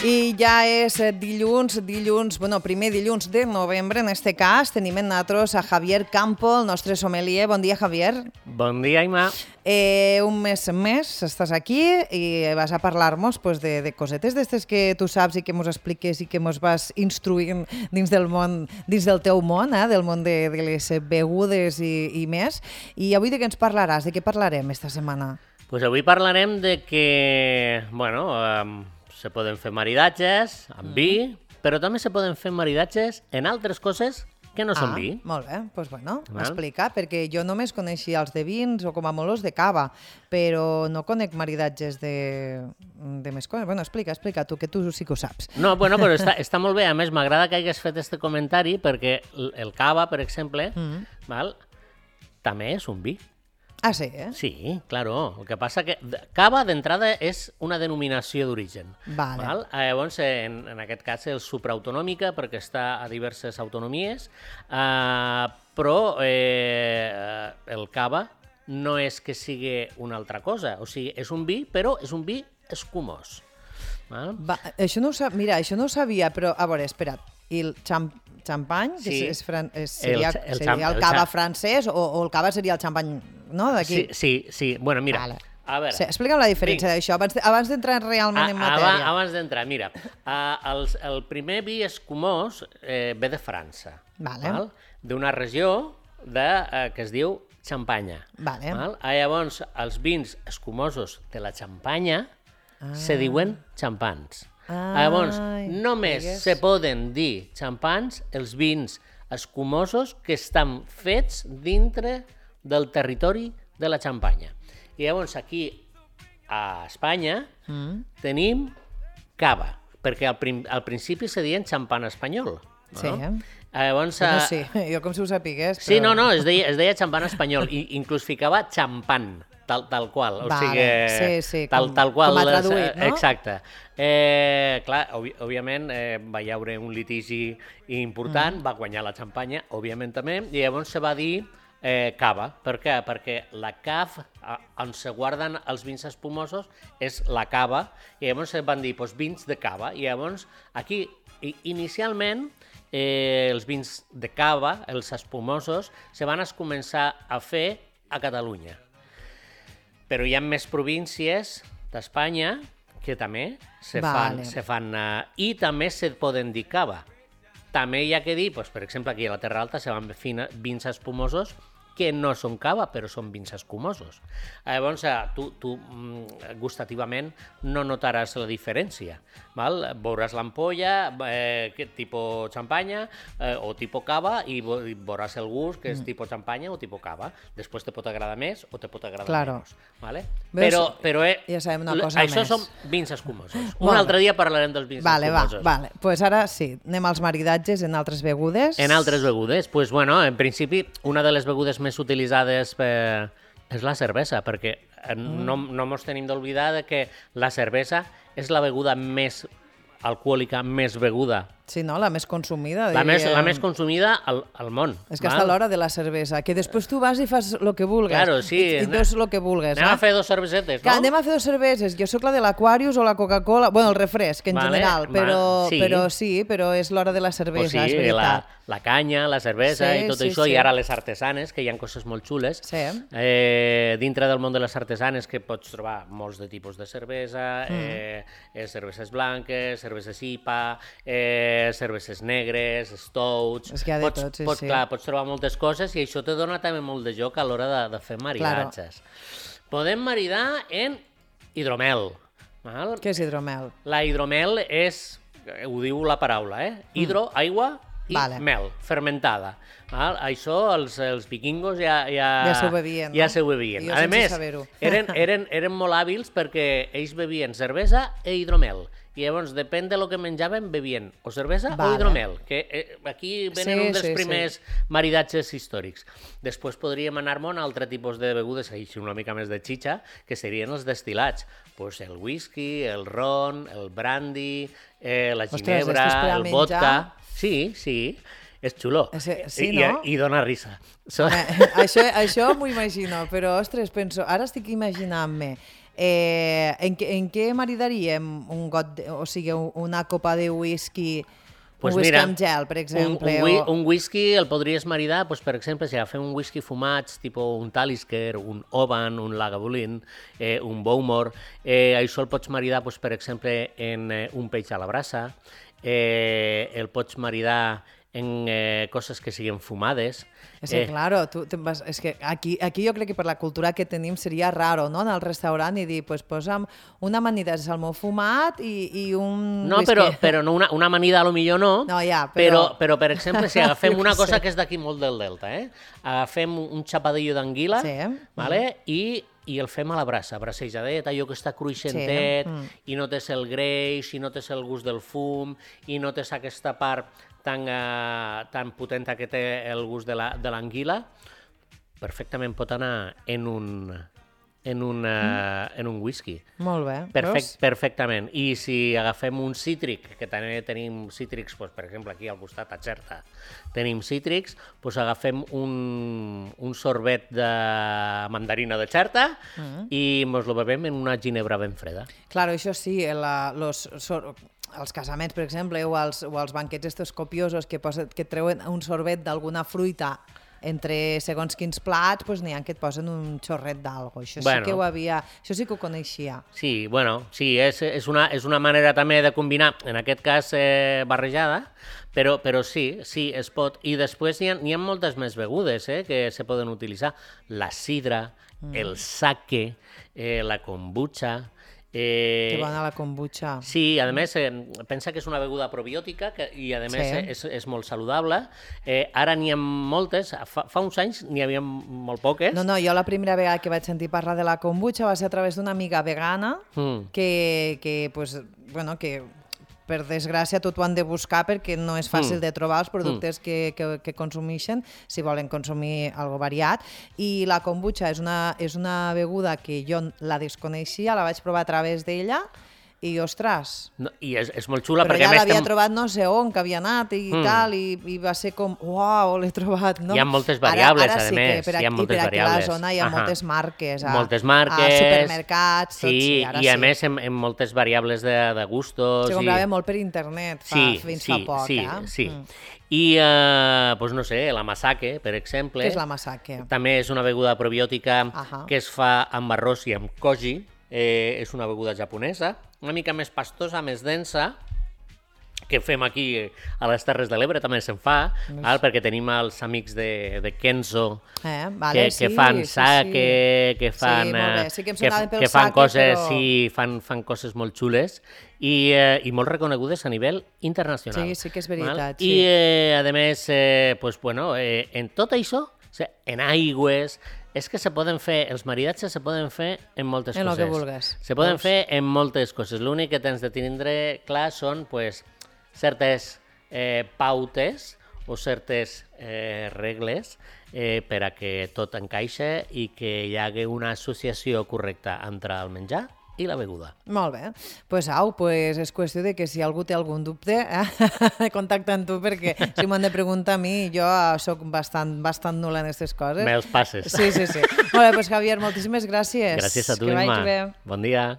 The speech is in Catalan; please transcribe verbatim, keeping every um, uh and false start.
I ja és dilluns, dilluns, bueno, primer dilluns de novembre, en este cas, tenim en nosaltres a Javier Campo, el nostre sommelier. Bon dia, Javier. Bon dia, Ima. Eh, un mes més estàs aquí i vas a parlar-nos pues, de, de cosetes d'estes que tu saps i que mos expliques i que mos vas instruint dins del món, dins del teu món, eh, del món de, de les begudes i, i més. I avui de què ens parlaràs? De què parlarem esta setmana? Pues avui parlarem de que, bueno, um, se poden fer maridatges amb mm. vi, però també se poden fer maridatges en altres coses que no ah, són vi. Molt bé, doncs pues bueno, explica, perquè jo només coneixia els de vins o com a molt els de cava, però no conec maridatges de, de més coses. Bueno, explica, explica tu, que tu sí que ho saps. No, bueno, però està, està molt bé. A més, m'agrada que hagués fet este comentari perquè el cava, per exemple, mm. val, també és un vi. Ah, sí, eh? Sí, claro. El que passa que cava d'entrada és una denominació d'origen. Vale. Val? Llavors, en, en aquest cas és supraautonòmica perquè està a diverses autonomies, eh, però eh, el cava no és que sigui una altra cosa. O sigui, és un vi, però és un vi escumós. Val? Va, això no ho sab... Mira, això no ho sabia, però a veure, espera't. I el xamp... xampany, que sí. és, fran... és, seria, el, el, seria el cava el francès o, o el cava seria el xampany, no, d'aquí? Sí, sí, sí. Bueno, mira, vale. A veure... Sí, explica'm la diferència d'això, abans, abans d'entrar realment a, en matèria. Abans, abans d'entrar, mira, uh, el, el primer vi escumós eh, ve de França, vale. Val? D'una regió de, uh, que es diu Xampanya. Vale. Val? Ah, llavors, els vins escumosos de la Xampanya ah. se diuen xampans. Ai, Llavors, només digues. se poden dir xampans els vins escumosos que estan fets dintre del territori de la Xampanya. I llavors aquí a Espanya mm. tenim cava, perquè al, prim, al principi se deien xampan espanyol. No? Sí, eh? Llavors, bueno, sí, jo com si ho sapigués. Però... Sí, no, no, es deia, es deia xampan espanyol, i inclús ficava xampan. Tal, tal qual, o vale, sigui, sí, sí, tal, com, tal qual. Com a traduït, no? Exacte. Eh, clar, òbvi, òbviament eh, va hi haure un litigi important, mm. va guanyar la Xampanya, òbviament també, i llavors se va dir eh, cava. Per què? Perquè la caf, on se guarden els vins espumosos, és la cava, i llavors se van dir pues, vins de cava, i llavors aquí, inicialment, eh, els vins de cava, els espumosos, se van començar a fer a Catalunya. Però hi ha més províncies d'Espanya que també se fan, vale. se fan uh, i també se poden dir cava. També hi ha que dir, doncs, per exemple, aquí a la Terra Alta se van fer vins espumosos que no són cava, però són vins escumosos. Llavors, tu, tu gustativament no notaràs la diferència. Val? Veuràs l'ampolla, eh, tipus xampanya eh, o tipus cava, i veuràs el gust, que és tipus xampanya o tipus cava. Després te pot agradar més o te pot agradar claro. menys. Vale? Veus? Però, però eh, ja sabem una cosa això més. són vins escumosos. Un vale. altre dia parlarem dels vins vale, escumosos. Va, vale. Pues ara sí, anem als maridatges en altres begudes. En altres begudes? Pues, bueno, en principi, una de les begudes més utilitzades per... és la cervesa, perquè mm. no, no ens tenim d'oblidar que la cervesa és la beguda més alcohòlica, més beguda. Sí, no? La més consumida. La més, la més consumida al, al món. És que val? Està l'hora de la cervesa, que després tu vas i fas el que vulgues. Claro, sí. I, i dos el que vulgues. Anem eh? a fer dos cervesetes, no? Que anem a fer dos cerveses. Jo sóc la de l'Aquarius o la Coca-Cola, bueno, el refresc en vale, general, però, va, sí. però sí, però és l'hora de la cervesa, o sí, és veritat. La, la canya, la cervesa sí, i tot sí, això, sí. i ara les artesanes, que hi ha coses molt xules. Sí. Eh, dintre del món de les artesanes que pots trobar molts de tipus de cervesa, mm. eh, eh, cerveses blanques, cerveses I P A, eh, cerveses negres, negres, stouts... És que hi ha de pots, tot, sí, pots, sí. Clar, pots trobar moltes coses i això te dona també molt de joc a l'hora de, de fer maridatges. Claro. Podem maridar en hidromel. Val? Què és hidromel? La hidromel és, ho diu la paraula, eh? Hidro, mm. aigua i vale. mel, fermentada. Val? Això els, els vikingos ja... Ja, ja s'ho bevien, ja no? s'ho bevien. Jo a més, eren, eren, eren molt hàbils perquè ells bevien cervesa e hidromel. I llavors, depèn de lo que menjaven, bevien o cervesa vale. o hidromel, que eh, aquí venen sí, un dels sí, primers sí. maridatges històrics. Després podríem anar-nos a un altre tipus de begudes, així una mica més de xitxa, que serien els destilats. Pues el whisky, el ron, el brandy, eh, la ginebra, Ostres, el vodka... Sí, sí, és xulo. Sí, I, no? I, i dona risa. So... Eh, això això m'ho imagino, però, ostres, penso, ara estic imaginant-me Eh, en, en què maridaríem un got, de, o sigui, una copa de whisky... Pues un whisky mira, amb gel, per exemple. Un, un, o... un whisky el podries maridar, pues, per exemple, si agafem un whisky fumats, tipus un Talisker, un Oban, un Lagavulin, eh, un Bowmore, eh, això el pots maridar, pues, per exemple, en eh, un peix a la brasa, eh, el pots maridar en eh, coses que siguin fumades. És que, eh, claro, tu te vas, és que aquí, aquí jo crec que per la cultura que tenim seria raro, no?, anar al restaurant i dir, pues posa'm una amanida de salmó fumat i, i un no, whisky. Però, però no una, una amanida a lo millor no, no ja, però... Però, però per exemple, si agafem una sé. cosa que és d'aquí molt del Delta, eh? agafem un xapadillo d'anguila, sí. vale? I i el fem a la brasa, bracejadet, allò que està cruixentet, sí. mm. i no tens el greix, i no tens el gust del fum, i no tens aquesta part tan, uh, tan potenta que té el gust de l'anguila, perfectament pot anar en un, en un, uh, mm. en un whisky. Molt bé. Perfect, perfectament. I si agafem un cítric, que també tenim cítrics, doncs, per exemple, aquí al costat, a Xerta, tenim cítrics, doncs agafem un, un sorbet de mandarina de Xerta mm. i ens lo bevem en una ginebra ben freda. Claro, això sí, la, los, sor, els casaments, per exemple, o els, o els banquets estos copiosos que, posen, que treuen un sorbet d'alguna fruita entre segons quins plats, doncs n'hi ha que et posen un xorret d'algo. Això bueno, sí que ho havia, això sí que ho coneixia. Sí, bueno, sí, és, és, una, és una manera també de combinar, en aquest cas eh, barrejada, però, però sí, sí, es pot. I després n'hi ha, n'hi ha moltes més begudes eh, que se poden utilitzar. La sidra, mm. el sake, eh, la kombucha... Eh, que bona la kombucha. Sí, a més, eh, pensa que és una beguda probiòtica que, i a més sí. és, és molt saludable. Eh, ara n'hi ha moltes, fa, fa uns anys n'hi havia molt poques. No, no, jo la primera vegada que vaig sentir parlar de la kombucha va ser a través d'una amiga vegana mm. que, que, pues, bueno, que per desgràcia tot ho han de buscar perquè no és fàcil mm. de trobar els productes mm. que, que, que consumeixen si volen consumir algo variat. I la kombucha és una, és una beguda que jo la desconeixia, la vaig provar a través d'ella i, ostres... No, I és, és molt xula però perquè... ja l'havia estem... trobat no sé on, que havia anat i mm. tal, i, i va ser com, uau, l'he trobat, no? Hi ha moltes variables, ara, ara a sí més. Per hi ha moltes I per aquí a la zona hi ha Ahà. moltes marques, a, moltes marques, a supermercats, sí, tot, sí, ara i a sí. més en, en moltes variables de, de gustos. Se comprava i... molt per internet fa, sí, fins sí, fa poc, sí, eh? Sí, mm. I, eh, doncs no sé, la masake, per exemple... Què és la masake? També és una beguda probiòtica Ahà. que es fa amb arròs i amb koji. Eh, és una beguda japonesa, una mica més pastosa, més densa, que fem aquí a les Terres de l'Ebre, també se'n fa, val? Perquè tenim els amics de, de Kenzo, eh, vale, que, sí, que fan sí, sake, sí. que fan, sí, sí que, que, pel que fan sake, coses, però... sí, fan, fan coses molt xules i, eh, i molt reconegudes a nivell internacional. Sí, sí que és veritat. Val? I, sí. eh, a més, eh, pues, bueno, eh, en tot això, en aigües, és que se poden fer, els maridatges se poden fer en moltes en coses. En el que vulgues. Se poden doncs... fer en moltes coses. L'únic que tens de tindre clar són pues, certes eh, pautes o certes eh, regles eh, per a que tot encaixa i que hi hagi una associació correcta entre el menjar i la beguda. Molt bé. Pues au, pues és qüestió de que si algú té algun dubte, eh, contacta amb tu, perquè si m'han de preguntar a mi, jo sóc bastant, bastant nul·la en aquestes coses. Me'ls passes. Sí, sí, sí. Molt bé, pues Javier, moltíssimes gràcies. Gràcies a tu, que Imma. vagi bé. Bon dia.